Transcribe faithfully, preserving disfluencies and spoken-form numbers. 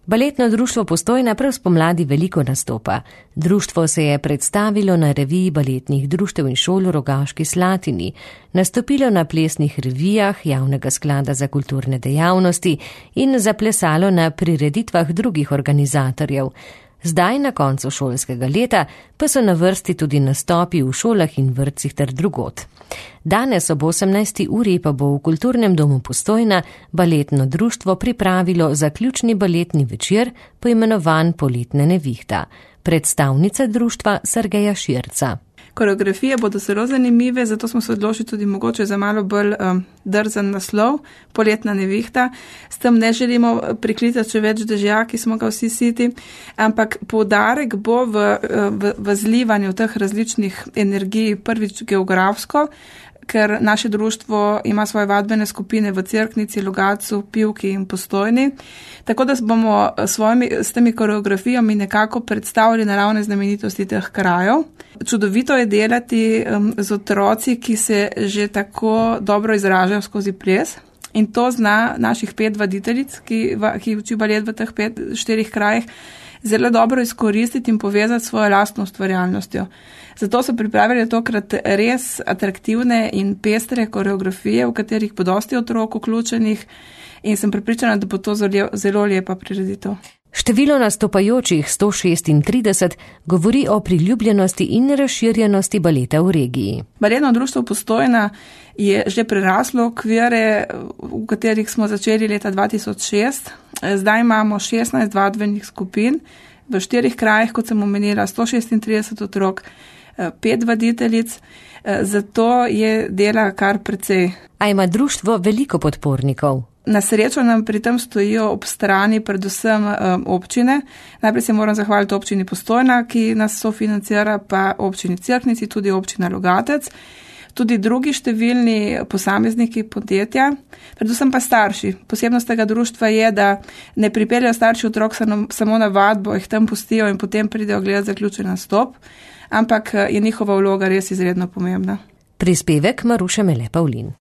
Baletno društvo Postojna prav spomladi veliko nastopa. Društvo se je predstavilo na reviji baletnih društev in šol v Rogaški Slatini, nastopilo na plesnih revijah Javnega sklada za kulturne dejavnosti in zaplesalo na prireditvah drugih organizatorjev. Zdaj, na koncu šolskega leta, pa so na vrsti tudi nastopi v šolah in vrtcih ter drugod. Danes ob osemnajsti uri pa bo v Kulturnem domu Postojna baletno društvo pripravilo zaključni baletni večer, poimenovan Poletna nevihta. Predstavnica društva Sergeja Širca. Koreografije bodo zelo zanimive, zato smo se odločili tudi mogoče za malo bolj um, drzen naslov, Poletna nevihta. S tem ne želimo priklicati še več dežja, ki smo ga vsi siti, ampak poudarek bo v, v, v zlivanju teh različnih energij, prvič geografsko, ker naše društvo ima svoje vadbene skupine v Cerknici, Logatcu, Pivki in Postojni. Tako da bomo svojimi, s temi koreografijami nekako predstavili naravne znamenitosti teh krajev. Čudovito je delati um, z otroci, ki se že tako dobro izražajo skozi ples. In to zna naših pet vaditeljic, ki, ki uči balet v teh pet, štirih krajih, zelo dobro izkoristiti in povezati svojo lastno ustvarjalnostjo. Zato so pripravili tokrat res atraktivne in pestre koreografije, v katerih bo dosti otrok vključenih in sem prepričana, da bo to zelo, zelo lepa prireditev. Število nastopajočih sto šestintrideset govori o priljubljenosti in razširjenosti baleta v regiji. Baletno društvo Postojna je že preraslo okvire, v katerih smo začeli leta dva tisoč šest. Zdaj imamo šestnajst vadbenih skupin v štirih krajih, kot sem omenila, sto šestintrideset otrok, pet vaditeljic, zato je dela kar precej. A ima društvo veliko podpornikov? Na srečo nam pri tem stojijo ob strani predvsem um, občine. Najprej se moram zahvaliti občini Postojna, ki nas sofinancira, pa občini Cerknici, tudi občina Logatec, tudi drugi številni posamezniki podjetja, predvsem pa starši. Posebnost tega društva je, da ne pripeljajo starši otrok samo na vadbo, jih tam pustijo in potem pridejo gledati zaključen nastop, ampak je njihova vloga res izredno pomembna. Prispevek Maruše Mele Pavlin.